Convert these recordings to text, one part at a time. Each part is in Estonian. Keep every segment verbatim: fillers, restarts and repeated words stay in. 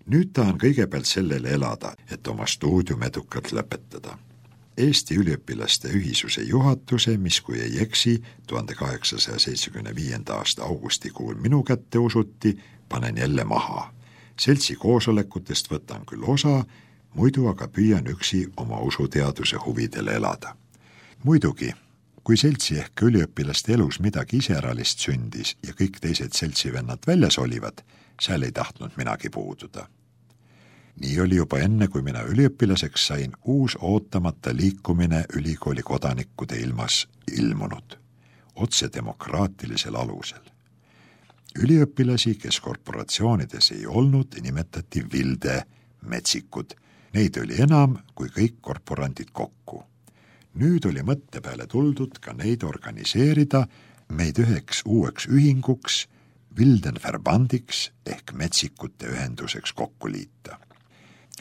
Nüüd tahan kõigepealt sellele elada, et oma stuudium edukalt lõpetada. Eesti üliõpilaste ühisuse juhatuse, mis kui ei eksi, tuhande kaheksasaja seitsmekümne viienda aasta augustikuul minu kätte usuti, panen jälle maha. Seltsi koosolekutest võtan küll osa, muidu aga püüan üksi oma usuteaduse huvidele elada. Muidugi, kui seltsi ehk üliõpilaste elus midagi iseäralist sündis ja kõik teised seltsivennad väljas olivad, seal ei tahtnud minagi puududa. Nii oli juba enne, kui mina üliõpilaseks sain, uus ootamata liikumine ülikooli kodanikkude ilmas ilmunud, otse demokraatilisel alusel. Üliõpilasi, kes korporatsioonides ei olnud, nimetati vilde metsikud. Neid oli enam kui kõik korporandid kokku. Nüüd oli mõtte peale tuldud ka neid organiseerida, meid üheks uueks ühinguks, Wildenverbandiks ehk metsikute ühenduseks kokku liita.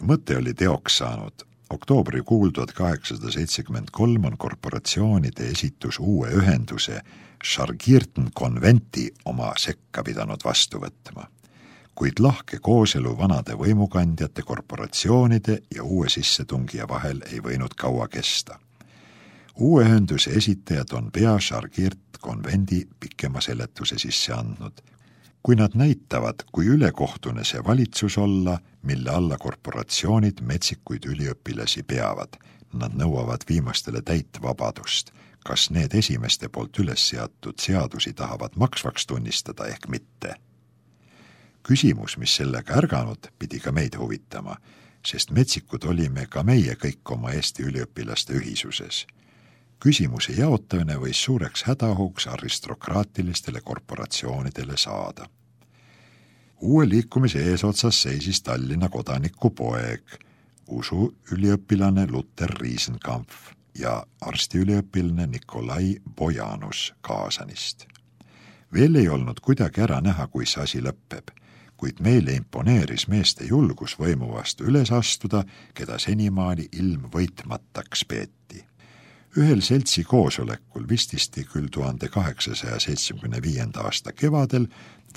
Mõte oli teoks saanud. Oktoobrikuul tuhat kaheksasada seitsekümmend kolm on korporatsioonide esitus uue ühenduse Schargirten konventi oma sekka pidanud vastu võtma. Kuid lahke kooselu vanade võimukandjate, korporatsioonide ja uue sissetungija vahel ei võinud kaua kesta. Uue ühenduse esitajad on pea Schargirt konvendi pikema seletuse sisse andnud. Kui nad näitavad, kui ülekohtune see valitsus olla, mille alla korporatsioonid metsikuid üliõpilasi peavad, nad nõuavad viimastele täit vabadust, kas need esimeste poolt üles seatud seadusi tahavad maksvaks tunnistada ehk mitte. Küsimus, mis sellega ärganud, pidi ka meid huvitama, sest metsikud olime ka meie kõik oma Eesti üliõpilaste ühisuses. Küsimuse jaotamine võis suureks hädahuks aristokraatilistele korporatsioonidele saada. Uue liikumise eesotsas seisis Tallinna kodaniku poeg, usu üliõpilane Luther Riesenkampf ja arstiüliõpilane Nikolai Bojanus Kaasanist. Veel ei olnud kuidagi ära näha, kui see asi lõpeb, kuid meile imponeeris meeste julgus võimu vastu üles astuda, keda senimaani ilm võitmataks peeti. Ühel seltsi koosolekul vististi küll tuhande kaheksasaja seitsmekümne viienda aasta kevadel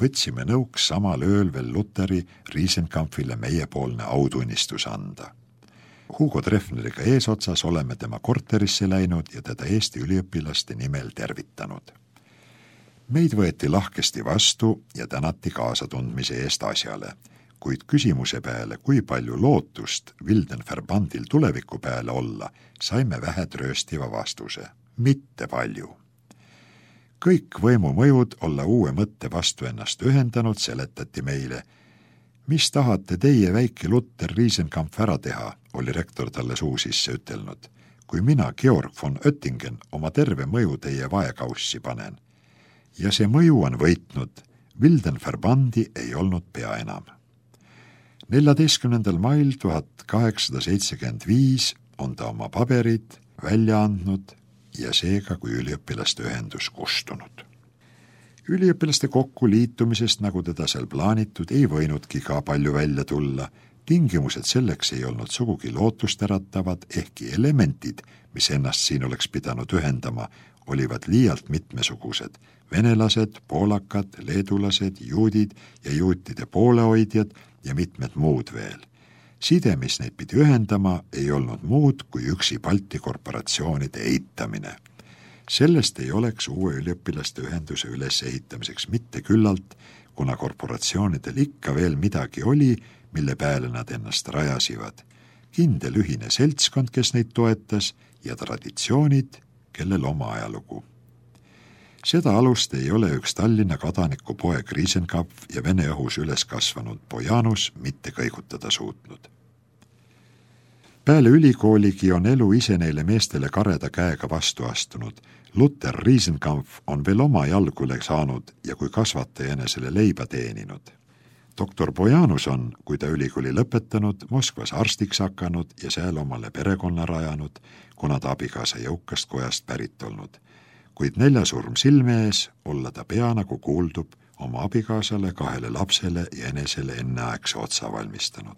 võtsime nõuks samal ööl veel Lutheri Riesenkampfile meiepoolne autunnistus anda. Hugo Treffneriga eesotsas oleme tema korterisse läinud ja teda Eesti üliõpilaste nimel tervitanud. Meid võeti lahkesti vastu ja tänati kaasatundmise eest asjale, kuid küsimuse peale, kui palju lootust Wildenverbandil tuleviku peale olla, saime vähe trööstiva vastuse. Mitte palju. Kõik võimumõjud olla uue mõtte vastu ennast ühendanud, seletati meile. Mis tahate teie väike Luther Riesenkampf ära teha, oli rektor talle suu sisse ütelnud, kui mina Georg von Oettingen oma terve mõju teie vaekaussi panen. Ja see mõju on võitnud, Wildenverbandi ei olnud pea enam. neljateistkümnendal mail tuhat kaheksasada seitsekümmend viis on ta oma paberid välja andnud ja seega kui üliõpilaste ühendus kustunud. Üliõpilaste kokku liitumisest, nagu teda seal plaanitud, ei võinudki ka palju välja tulla. Tingimused selleks ei olnud sugugi lootusteratavad, ehkki elementid, mis ennast siin oleks pidanud ühendama, olivad liialt mitmesugused. Venelased, poolakad, leedulased, juudid ja juutide poolehoidjad ja mitmed muud veel. Side, mis neid pidi ühendama, ei olnud muud kui üksi Balti korporatsioonide eitamine. Sellest ei oleks uue üliõpilaste ühenduse ülesehitamiseks mitte küllalt, kuna korporatsioonidel ikka veel midagi oli, mille peale nad ennast rajasivad. Kindel ühine seltskond, kes neid toetas, ja traditsioonid, kellel oma ajalugu. Seda alust ei ole üks Tallinna kodaniku poeg Riesenkampf ja Vene õhus üles kasvanud Bojanus mitte kõigutada suutnud. Peale ülikooligi on elu ise neile meestele kareda käega vastu astunud. Luther Riesenkampf on veel oma jalgule saanud ja kui kasvataja enesele leiba teeninud. Doktor Bojanus on, kui ta ülikooli lõpetanud, Moskvas arstiks hakanud ja seal omale perekonna rajanud, kuna ta abikaasa jõukast kojast pärit olnud. Kuid neljasurm silme ees olla ta pea nagu kuuldub oma abikaasale, kahele lapsele ja enesele enneaegse otsa valmistanud.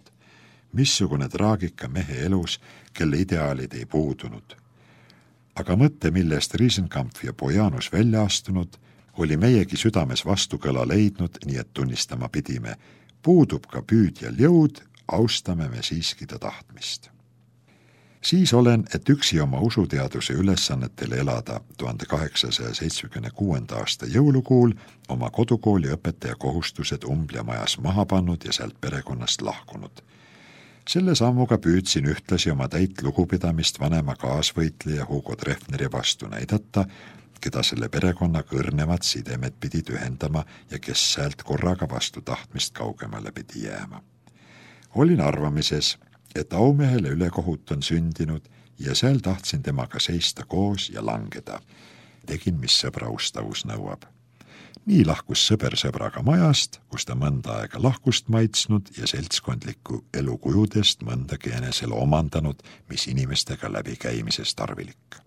Missugune traagika mehe elus, kelle ideaalid ei puudunud. Aga mõtte, millest Riesenkampf ja Bojanus välja astunud, oli meiegi südames vastukõla leidnud, nii et tunnistama pidime, puudub ka püüdjal jõud, austame me siiski ta tahtmist. Siis olen, et üksi oma usuteaduse ülesannetel elada tuhande kaheksasaja seitsmekümne kuuenda aasta jõulukuul oma kodukooli õpetaja kohustused Umblia majas maha pannud ja sealt perekonnast lahkunud. Selle sammuga püüdsin ühtlasi oma täit lugupidamist vanema kaasvõitleja Hugo Treffneri vastu näidata, keda selle perekonna kõrnevad sidemed pidid ühendama ja kes säält korraga vastu tahtmist kaugemale pidi jääma. Olin arvamises, et aumehele ülekohut on sündinud ja seal tahtsin temaga seista koos ja langeda. Tegin, mis sõbra ustavus nõuab. Nii lahkus sõber sõbraga majast, kus ta mõnda aega lahkust maitsnud ja seltskondliku elukujudest mõndagi enesele omandanud, mis inimestega läbikäimises tarvilik.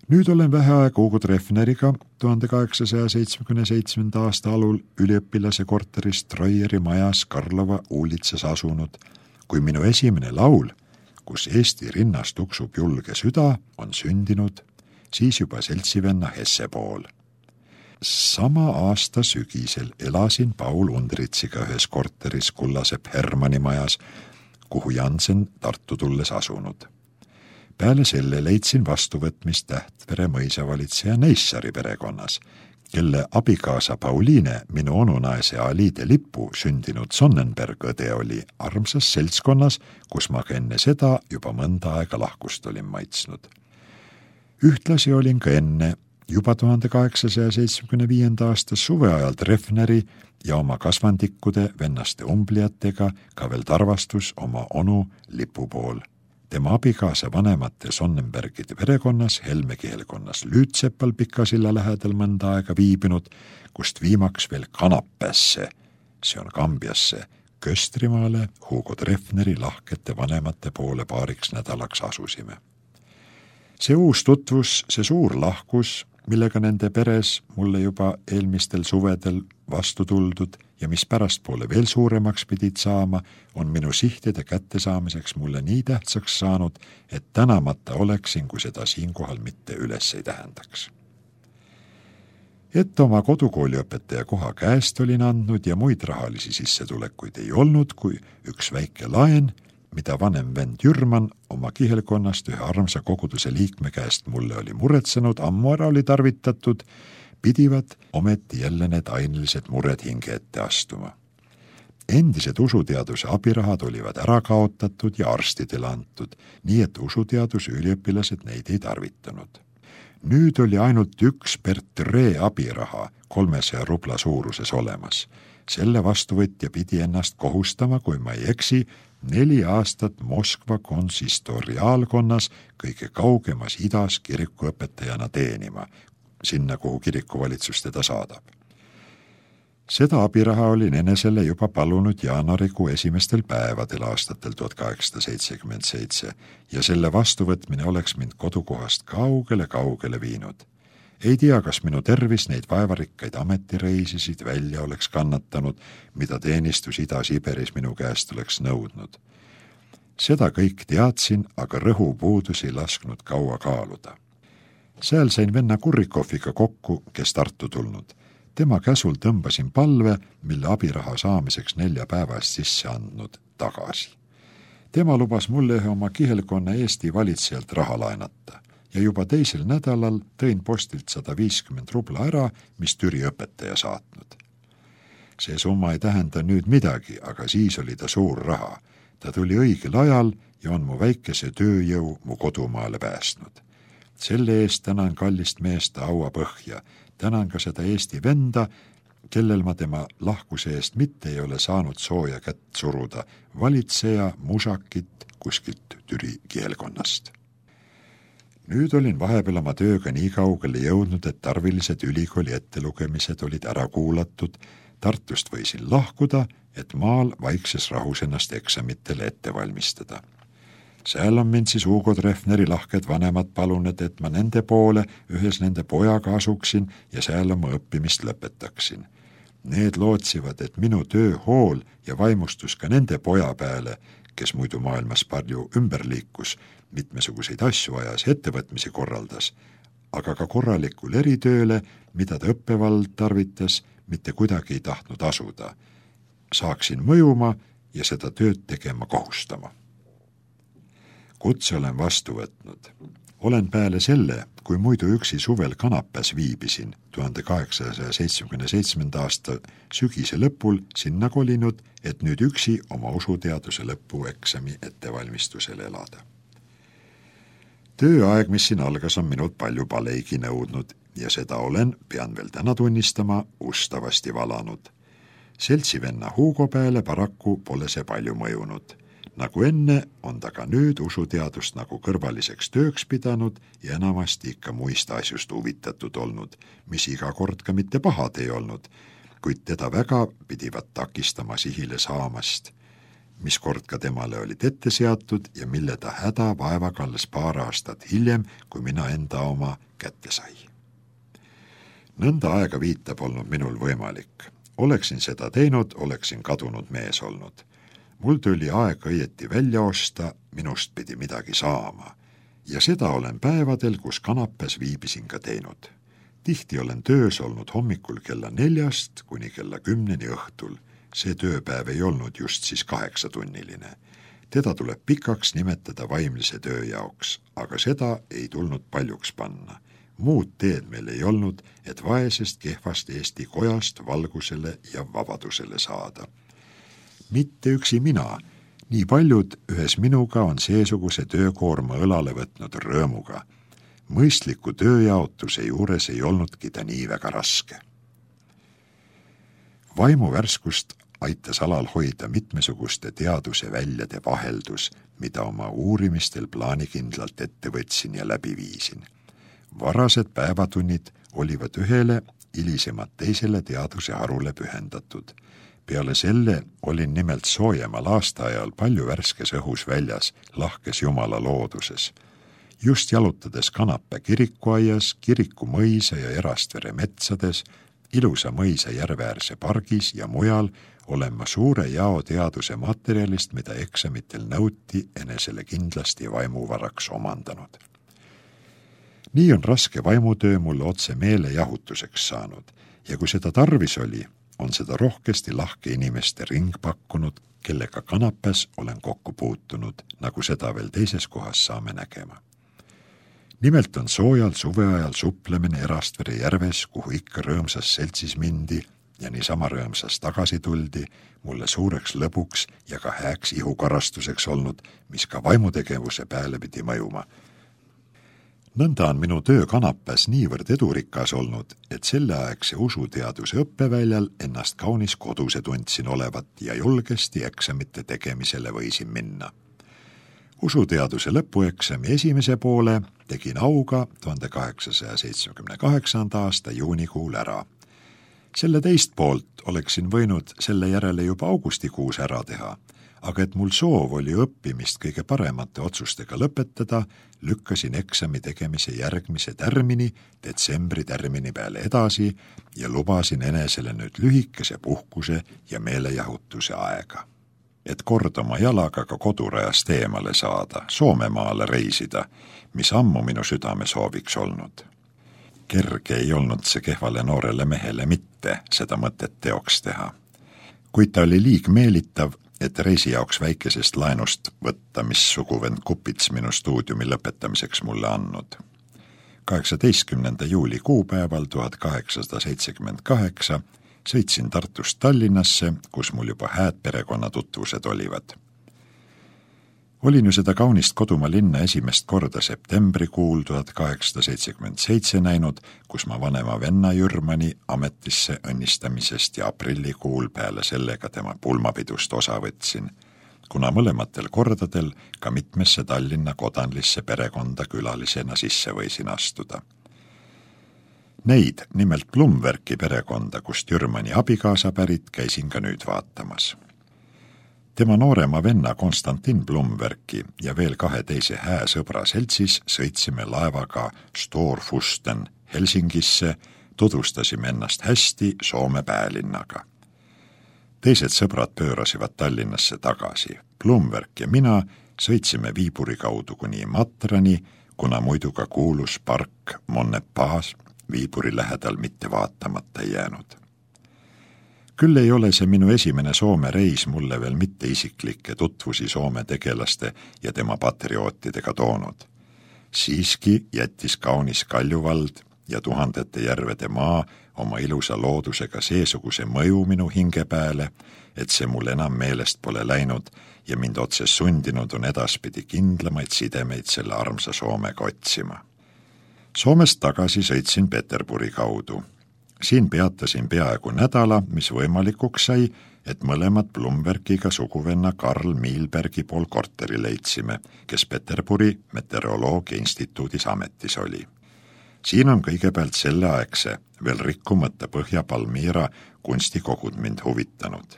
Nüüd olen vähe aega Hugo Treffneriga tuhande kaheksasaja seitsmekümne seitsmenda aasta alul üliõpilase korteris Treueri majas Karlova uulitsas asunud, kui minu esimene laul, kus Eesti rinnast tuksub julge süda, on sündinud, siis juba seltsivenna Hesse pool. Sama aasta sügisel elasin Paul Undritsiga ühes korteris Kullasepp Hermanni majas, kuhu Jansen Tartu tulles asunud. Peale selle leidsin vastuvõtmist Tähtvere mõisavalitseja Neissari perekonnas, kelle abikaasa Pauliine, minu onunaise Aliide Lippu sündinud Sonnenberg õde oli armsas seltskonnas, kus ma ka enne seda juba mõnda aega lahkust olin maitsnud. Ühtlasi olin ka enne, juba tuhande kaheksasaja seitsmekümne viienda aasta suveajal Treffneri ja oma kasvandikkude vennaste umbliatega ka veel tarvastus oma onu Lipu pool. Tema abikaasa vanemate Sonnenbergide perekonnas Helme kihelkonnas Lüütsepal Pikasilla lähedal mõnda aega viibinud, kust viimaks veel Kanapässe, see on Kambiasse, Köstrimaale Hugo Treffneri lahkete vanemate poole paariks nädalaks asusime. See uus tutvus, see suur lahkus, millega nende peres mulle juba eelmistel suvedel vastu tuldud ja mis pärastpoole veel suuremaks pidid saama, on minu sihtide kättesaamiseks mulle nii tähtsaks saanud, et tänamata oleksin, kui seda siinkohal mitte üles ei tähendaks. Et oma kodukooliõpetaja koha käest olin andnud ja muid rahalisi sissetulekuid ei olnud, kui üks väike laen, mida vanem vend Jürman oma kihelkonnast ühe armsa koguduse liikme käest mulle oli muretsenud, ammu ära oli tarvitatud, pidivad ometi jälle need ainelised mured hinge ette astuma. Endised usuteaduse abirahad olivad ära kaotatud ja arstidele antud, nii et usuteaduse üliõpilased neid ei tarvitanud. Nüüd oli ainult üks Bertre abiraha kolmesaja rubla suuruses olemas. Selle vastuvõtja pidi ennast kohustama, kui ma ei eksi, neli aastat Moskva konsistoriaalkonnas kõige kaugemas idas kirikuõpetajana teenima, sinna, kuhu kirikuvalitsus teda saadab. Seda abiraha olin enesele juba palunud jaanuarikuu esimestel päevadel aastatel tuhat kaheksasada seitsekümmend seitse ja selle vastuvõtmine oleks mind kodukohast kaugele-kaugele viinud. Ei tea, kas minu tervis neid vaevarikkaid ametireisisid välja oleks kannatanud, mida teenistus Ida-Siberis minu käest oleks nõudnud. Seda kõik teadsin, aga rõhu puudus ei lasknud kaua kaaluda. Seal sain venna Kurrikoviga kokku, kes Tartu tulnud. Tema käsul tõmbasin palve, mille abiraha saamiseks nelja päevast sisse andnud, tagasi. Tema lubas mulle ühe oma kihelkonna Eesti valitsejalt raha laenata ja juba teisel nädalal tõin postilt sada viiskümmend rubla ära, mis Türi õpetaja saatnud. See summa ei tähenda nüüd midagi, aga siis oli ta suur raha. Ta tuli õigel ajal ja on mu väikese tööjõu mu kodumaale päästnud. Selle eest tänan kallist meest aua põhja, tänan ka seda Eesti venda, kellel ma tema lahkuse eest mitte ei ole saanud sooja kätt suruda, valitseja Musakit kuskilt Türi kihelkonnast. Nüüd olin vahepeal oma tööga nii kaugele jõudnud, et tarvilised ülikooli ettelugemised olid ära kuulatud, Tartust võisin lahkuda, et maal vaikses rahus ennast eksamitele ette valmistada. Seal on mind siis Hugo Treffneri lahked vanemad palunud, et ma nende poole ühes nende pojaga asuksin ja seal oma õppimist lõpetaksin. Need lootsivad, et minu töö hool ja vaimustus ka nende poja peale, kes muidu maailmas palju ümber liikus, mitmesuguseid asju ajas ettevõtmisi korraldas, aga ka korralikul eritööle, mida ta õppevald tarvitas, mitte kuidagi ei tahtnud asuda. saaksin mõjuma ja seda tööd tegema kohustama. Kutse olen vastu võtnud. Olen peale selle, kui muidu üksi suvel Kanapäs viibisin tuhande kaheksasaja seitsmekümne seitsmenda aasta sügise lõpul sinna kolinud, et nüüd üksi oma usuteaduse lõpueksami ettevalmistusel elada. Tööaeg, mis siin algas, on minult palju paleigi nõudnud ja seda olen, pean veel täna tunnistama, ustavasti valanud. Seltsivenna Hugo peale paraku pole see palju mõjunud. Nagu enne, on ta ka nüüd usuteadust nagu kõrvaliseks tööks pidanud ja enamasti ikka muist asjust huvitatud olnud, mis iga kord ka mitte pahad ei olnud, kuid teda väga pidivat takistama sihile saamast, mis kord ka temale olid ette seatud ja mille ta häda vaevaga alles paar aastat hiljem, kui mina enda oma kätte sai. Nõnda aega viita polnud minul võimalik. Oleksin seda teinud, oleksin kadunud mees olnud. Mul tuli aeg õieti välja osta, minust pidi midagi saama. Ja seda olen päevadel, kus Kanapäs viibisin ka teinud. Tihti olen töös olnud hommikul kella neljast kuni kella kümneni õhtul. See tööpäev ei olnud just siis kaheksatunniline. Teda tuleb pikaks nimetada vaimlise töö jaoks, aga seda ei tulnud paljuks panna. Muud teed meil ei olnud, et vaesest kehvast Eesti kojast valgusele ja vabadusele saada. Mitte üksi mina, nii paljud ühes minuga on seesuguse töökoorma õlale võtnud rõõmuga. Mõistliku tööjaotuse juures ei olnudki ta nii väga raske. Vaimuvärskust aitas alal hoida mitmesuguste teaduse väljade vaheldus, mida oma uurimistel plaanikindlalt ette võtsin ja läbi viisin. Varased päevatunnid olivad ühele, hilisemad teisele teaduse harule pühendatud. Peale selle olin nimelt soojemal aastaajal palju värskes õhus väljas, lahkes Jumala looduses. Just jalutades Kanapä kirikuaias, kiriku mõisa ja Erastvere metsades, ilusa mõisa järveäärse pargis ja mujal olen ma suure jao teaduse materjalist, mida eksamitel nõuti, enesele kindlasti vaimuvaraks omandanud. Nii on raske vaimutöö mulle otse meele jahutuseks saanud ja kui seda tarvis oli, on seda rohkesti lahke inimeste ring pakkunud, kellega Kanapäs olen kokku puutunud, nagu seda veel teises kohas saame nägema. Nimelt on soojal suveajal suplemine Erastvere järves, kuhu ikka rõõmsas seltsis mindi ja niisama rõõmsas tagasi tuldi, mulle suureks lõbuks ja ka hääks ihukarastuseks olnud, mis ka vaimutegevuse peale pidi mõjuma. Nõnda on minu töö Kanapäs niivõrd edurikas olnud, et selleaegse usuteaduse õppeväljal ennast kaunis koduse tundsin olevat ja julgesti eksamite tegemisele võisin minna. Usuteaduse lõpueksami esimese poole tegin auga tuhande kaheksasaja seitsmekümne kaheksanda aasta juunikuul ära. Selle teist poolt oleksin võinud selle järele juba augustikuus ära teha, aga et mul soov oli õppimist kõige paremate otsustega lõpetada, lükkasin eksami tegemise järgmise tärmini, detsembri tärmini peale edasi ja lubasin enesele nüüd lühikese puhkuse ja meelejahutuse aega. Et kord oma jalaga ka kodurajast eemale saada, Soomemaale reisida, mis ammu minu südame sooviks olnud. Kerge ei olnud see kehvale noorele mehele mitte seda mõtet teoks teha. Kuid ta oli liig meelitav, et reisi jaoks väikesest laenust võtta, mis suguvend Kupits minu stuudiumi lõpetamiseks mulle andnud. kaheksateistkümnenda juuli kuupäeval tuhat kaheksasada seitsekümmend kaheksa sõitsin Tartust Tallinnasse, kus mul juba hääd perekonnatutvused olivad. Olin ju seda kaunist kodumaa linna esimest korda septembrikuul tuhat kaheksasada seitsekümmend seitse näinud, kus ma vanema venna Jürmani ametisse õnnistamisest ja aprillikuul peale sellega tema pulmapidust osa võtsin, kuna mõlematel kordadel ka mitmesse Tallinna kodanlisse perekonda külalisena sisse võisin astuda. Neid, nimelt Blumwerki perekonda, kust Jürmani abikaasa pärit, käisin ka nüüd vaatamas. Tema noorema venna Konstantin Blumwerki ja veel kahe teise hää sõbra seltsis sõitsime laevaga Storfusten Helsingisse, tutvustasime ennast hästi Soome päälinnaga. Teised sõbrad pöörasivad Tallinnasse tagasi. Blumwerk ja mina sõitsime viiburi kaudu kuni Matrani, kuna muidu ka kuulus park Monnepaas viiburi lähedal mitte vaatamata jäänud. Küll ei ole see minu esimene Soome reis mulle veel mitte isiklikke tutvusi Soome tegelaste ja tema patriootidega toonud. Siiski jättis kaunis Kaljuvald ja tuhandete järvede maa oma ilusa loodusega seesuguse mõju minu hinge peale, et see mul enam meelest pole läinud ja mind otse sundinud on edaspidi kindlamaid sidemeid selle armsa Soomega otsima. Soomest tagasi sõitsin Peterburi kaudu. Siin peatasin peaaegu nädala, mis võimalikuks sai, et mõlemad Blumbergiga suguvenna Karl Miilbergi pool korteri leidsime, kes Peterburi meteoroloogia instituudis ametis oli. Siin on kõigepealt selleaegse, veel rikkumata Põhja Palmira kunstikogud mind huvitanud.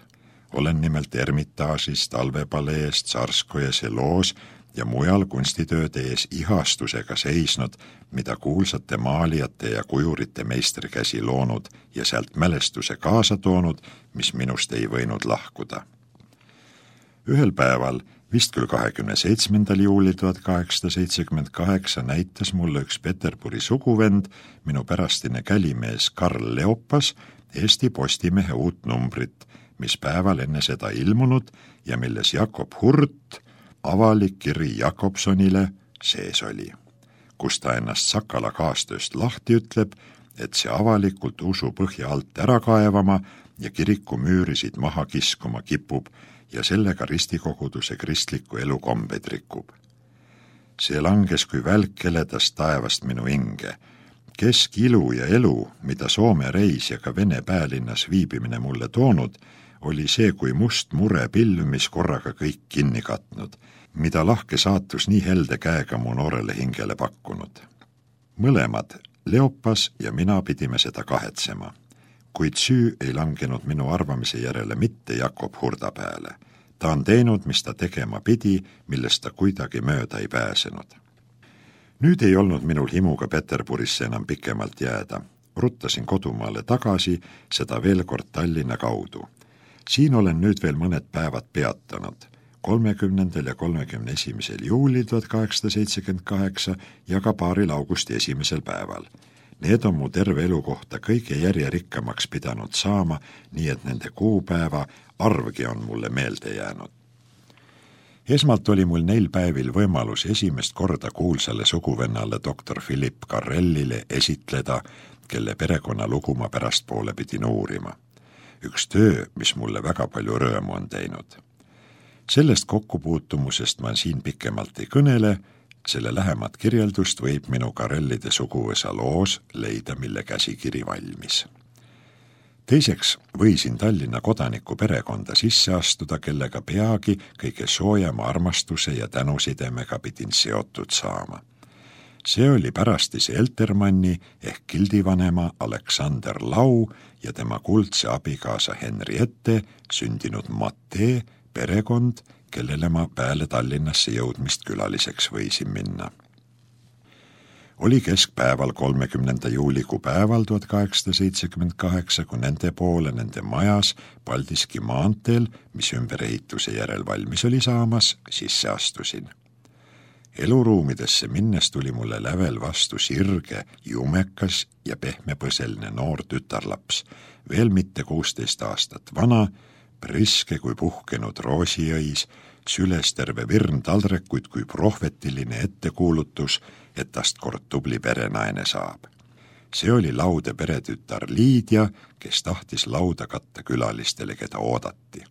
Olen nimelt Ermitaažis, Talvepalees, Tsarskojas ja Loos ja mujal kunstitööde ees ihastusega seisnud, mida kuulsate maalijate ja kujurite meistrikäsi loonud ja sealt mälestuse kaasa toonud, mis minust ei võinud lahkuda. Ühel päeval, vist küll kahekümne seitsmendal juulil tuhat kaheksasada seitsekümmend kaheksa näitas mulle üks Peterburi suguvend, minu pärastine kälimees Karl Leopas, Eesti Postimehe uut numbrit, mis päeval enne seda ilmunud ja milles Jakob Hurt avalik kiri Jakobsonile sees oli, kus ta ennast Sakala kaastööst lahti ütleb, et see avalikult usu põhja alt ära kaevama ja kiriku müürisid maha kiskuma kipub ja sellega ristikoguduse kristliku elu kombed rikub. See langes kui välk heledast taevast minu hinge. Keskilu ja elu, mida Soome reis ja ka Vene päälinnas viibimine mulle toonud, oli see kui must mure pilv, mis korraga kõik kinni katnud, mida lahke saatus nii helde käega mu noorele hingele pakkunud. Mõlemad, Leopas ja mina pidime seda kahetsema, kuid süü ei langenud minu arvamise järele mitte Jakob Hurda peale. Ta on teinud, mis ta tegema pidi, millest ta kuidagi mööda ei pääsenud. Nüüd ei olnud minul himuga Peterburisse enam pikemalt jääda. Ruttasin kodumaale tagasi, seda veel kord Tallinna kaudu. Siin olen nüüd veel mõned päevad peatanud, kolmekümnendal ja kolmekümne esimesel juulil tuhat kaheksasada seitsekümmend kaheksa ja ka paaril augusti esimesel päeval. Need on mu terve elu kohta kõige järjerikkamaks pidanud saama, nii et nende kuupäeva arvgi on mulle meelde jäänud. Esmalt oli mul neil päevil võimalus esimest korda kuulsale suguvennale doktor Philipp Karellile esitleda, kelle perekonna lugu ma pärastpoole pidin uurima. Üks töö, mis mulle väga palju rõõmu on teinud. Sellest kokkupuutumusest ma siin pikemalt ei kõnele, selle lähemat kirjeldust võib minu Karellide suguvõsa loos leida, mille käsikiri valmis. Teiseks võisin Tallinna kodaniku perekonda sisse astuda, kellega peagi kõige soojama armastuse ja tänusidemega pidin seotud saama. See oli pärastise Eltermanni ehk kildivanema Aleksander Lau ja tema kuldse abikaasa Henriette sündinud Matee perekond, kellele ma peale Tallinnasse jõudmist külaliseks võisin minna. Oli keskpäeval kolmekümnenda juuliku päeval tuhat kaheksasada seitsekümmend kaheksa, kui nende poole nende majas Paldiski maanteel, mis ümberehituse järel valmis oli saamas, sisse astusin. Eluruumidesse minnes tuli mulle lävel vastu sirge, jumekas ja pehmepõseline noor tütarlaps, veel mitte kuusteist aastat vana, priske kui puhkenud roosijõis, süles terve virn taldrekuid kui prohvetiline ettekuulutus, et tast kord tubli perenaine saab. See oli laude peretütar Liidia, kes tahtis lauda katta külalistele, keda oodati.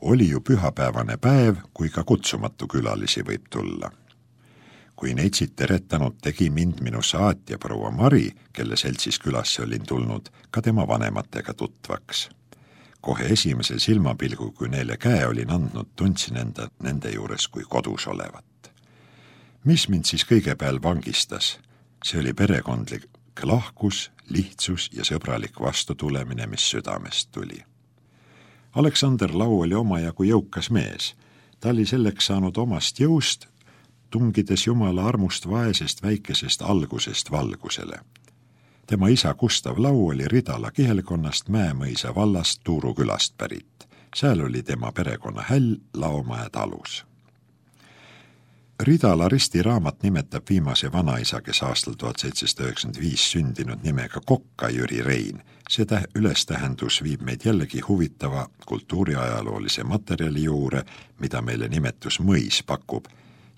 Oli ju pühapäevane päev, kui ka kutsumatu külalisi võib tulla. Kui neitsid teretanud, tegi mind minu saatja proua Mari, kelle seltsis külasse olin tulnud, ka tema vanematega tutvaks. Kohe esimese silmapilgu, kui neile käe olin andnud, tundsin enda nende juures kui kodus olevat. Mis mind siis kõigepeal vangistas? See oli perekondlik lahkus, lihtsus ja sõbralik vastutulemine, mis südamest tuli. Aleksander Lau oli omajagu jõukas mees. Ta oli selleks saanud omast jõust, tungides Jumala armust vaesest väikesest algusest valgusele. Tema isa Gustav Lau oli Ridala kihelkonnast Mäemõisa vallast Tuuru külast pärit. Seal oli tema perekonna häll Laumäe talus. Ridala Risti raamat nimetab viimase vanaisa, kes aastal tuhat seitsesada üheksakümmend viis sündinud nimega Kokka Jüri Rein. See täh- ülestähendus viib meid jällegi huvitava kultuuriajaloolise materjali juurde, mida meile nimetus mõis pakub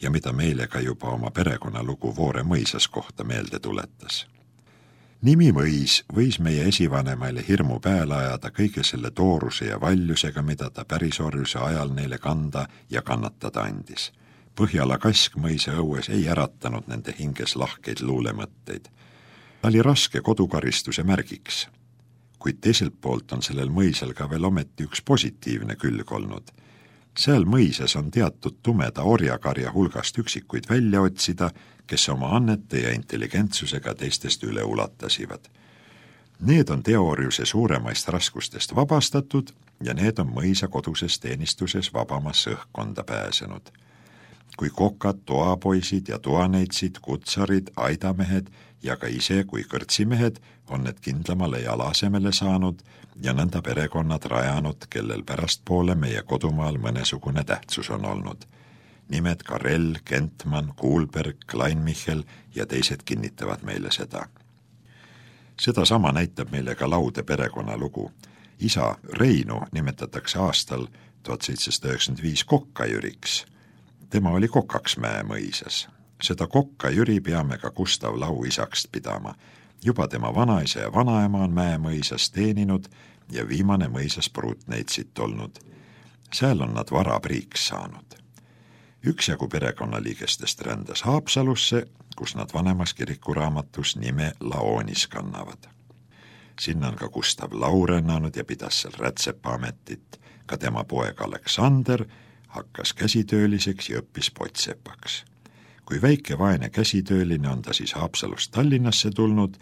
ja mida meile ka juba oma perekonnalugu Voore mõisas kohta meelde tuletas. Nimi mõis võis meie esivanemaile hirmu peale ajada kõige selle tooruse ja valjusega, mida ta pärisorjuse ajal neile kanda ja kannatada andis. Põhjala kask mõisa õues ei äratanud nende hinges lahkeid luulemõtteid. Ta oli raske kodukaristuse märgiks, kuid teiselt poolt on sellel mõisal ka veel ometi üks positiivne külg olnud. Seal mõisas on teatud tumeda orjakarja hulgast üksikuid välja otsida, kes oma annete ja intelligentsusega teistest üle ulatasivad. Need on teooriuse suuremaist raskustest vabastatud ja need on mõisa koduses teenistuses vabamasse õhkkonda pääsenud. Kui kokad, toapoisid ja toaneitsid, kutsarid, aidamehed ja ka ise kui kõrtsimehed on need kindlamale jalasemele saanud ja nõnda perekonnad rajanud, kellel pärastpoole meie kodumaal mõnesugune tähtsus on olnud. Nimed Karel, Kentman, Kuulberg, Kleinmichel ja teised kinnitavad meile seda. Seda sama näitab meile ka Laude perekonnalugu. Isa Reinu nimetatakse aastal tuhat seitsesada üheksakümmend viis Kokka Jüriks. Tema oli Kokaksmäe mõisas. Seda Kokka Jüri peame ka Gustav Lau isaks pidama. Juba tema vanaisa ja vanaema on Mäe mõisas teeninud ja viimane mõisas pruutneitsit olnud. Seal on nad varapriiks saanud. Üksjagu perekonnaliigestest rändas Haapsalusse, kus nad vanemas kirikuraamatus nime Laonis kannavad. Sinna on ka Gustav Lau rännanud ja pidas seal rätsepaametit. Ka tema poeg Aleksander hakkas käsitööliseks ja õppis pottsepaks. Kui väike vaene käsitööline on ta siis Haapsalust Tallinnasse tulnud,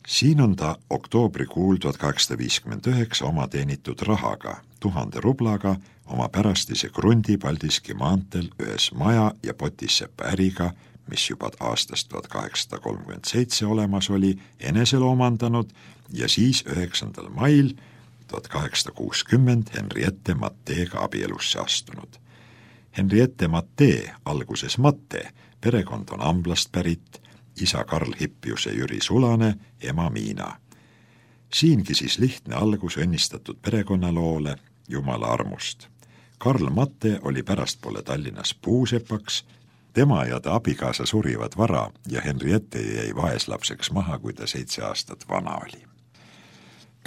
siin on ta oktoobrikuul tuhat kaheksasada viiskümmend üheksa oma teenitud rahaga, tuhande rublaga, oma pärastise krundi Paldiski maanteel ühes maja ja potissepa äriga, mis juba aastast tuhat kaheksasada kolmkümmend seitse olemas oli, enesel omandanud ja siis üheksandal mail tuhat kaheksasada kuuskümmend Henriette Matteega abielusse astunud. Henriette Mattee, alguses Matte, perekond on Amblast pärit, isa Karl Hippius ja Jüri Sulane, ema Miina. Siingi siis lihtne algus õnnistatud perekonnaloole Jumala armust. Karl Matte oli pärastpoole Tallinnas puusepaks, tema ja ta abikaasa surivad vara ja Henriette jäi vaeslapseks maha, kui ta seitse aastat vana oli.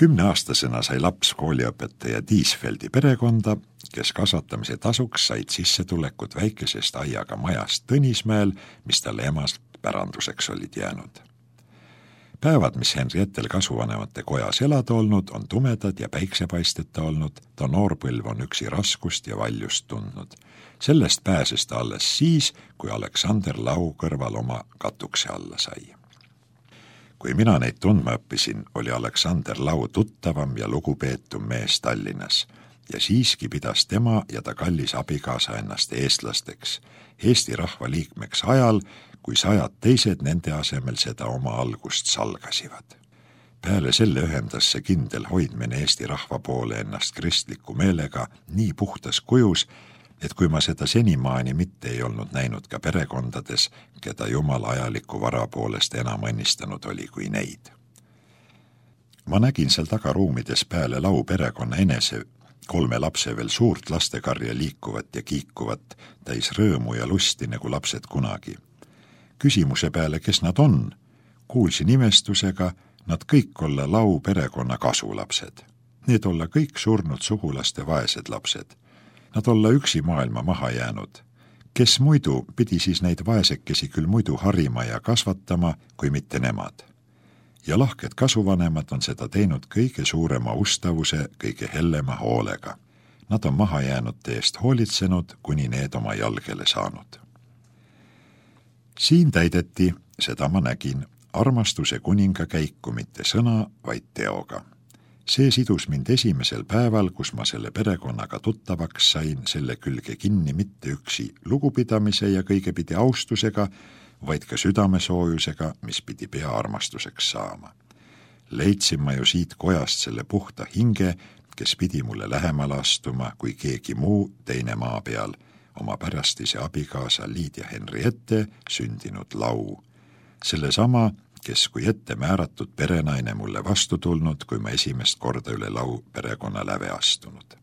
Kümneaastasena sai laps kooliõpetaja Tiisfeldi perekonda, kes kasvatamise tasuks said sissetulekut väikesest aiaga majast Tõnismäel, mis talle emast päranduseks olid jäänud. Päevad, mis Henriettel kasuvanemate kojas elada olnud, on tumedad ja päiksepaisteta olnud, ta noorpõlv on üksi raskust ja valjust tundnud. Sellest pääses ta alles siis, kui Aleksander Lau kõrval oma katukse alla sai. Kui mina neid tundma õppisin, oli Aleksander Lau tuttavam ja lugupeetum mees Tallinnas ja siiski pidas tema ja ta kallis abikaasa ennast eestlasteks, Eesti rahva liikmeks ajal, kui sajad teised nende asemel seda oma algust salgasivad. Peale selle ühendas see kindel hoidmine Eesti rahva poole ennast kristliku meelega nii puhtas kujus, et kui ma seda senimaani mitte ei olnud näinud ka perekondades, keda Jumal ajaliku vara poolest enam õnnistanud oli kui neid. Ma nägin seal tagaruumides peale Lau perekonna enese kolme lapse veel suurt lastekarja liikuvat ja kiikuvat, täis rõõmu ja lusti nagu lapsed kunagi. Küsimuse peale, kes nad on, kuulsin imestusega, nad kõik olla Lau perekonna kasulapsed. Need olla kõik surnud sugulaste vaesed lapsed. Nad olla üksi maailma maha jäänud. Kes muidu pidi siis neid vaesekesi küll muidu harima ja kasvatama, kui mitte nemad. Ja lahked kasuvanemad on seda teinud kõige suurema ustavuse, kõige hellema hoolega. Nad on maha jäänud teest hoolitsenud, kuni need oma jalgele saanud. Siin täideti, seda ma nägin, armastuse kuninga käiku mitte sõna, vaid teoga. See sidus mind esimesel päeval, kus ma selle perekonnaga tuttavaks sain, selle külge kinni mitte üksi lugupidamise ja kõigepidi austusega, vaid ka südamesoojusega, mis pidi pea armastuseks saama. Leidsin ma ju siit kojast selle puhta hinge, kes pidi mulle lähemale astuma, kui keegi muu teine maa peal, oma pärastise abikaasa Liidia Henriette sündinud Lau. Sellesama, kes kui ette määratud perenaine mulle vastu tulnud, kui ma esimest korda üle Lau perekonna läve astunud.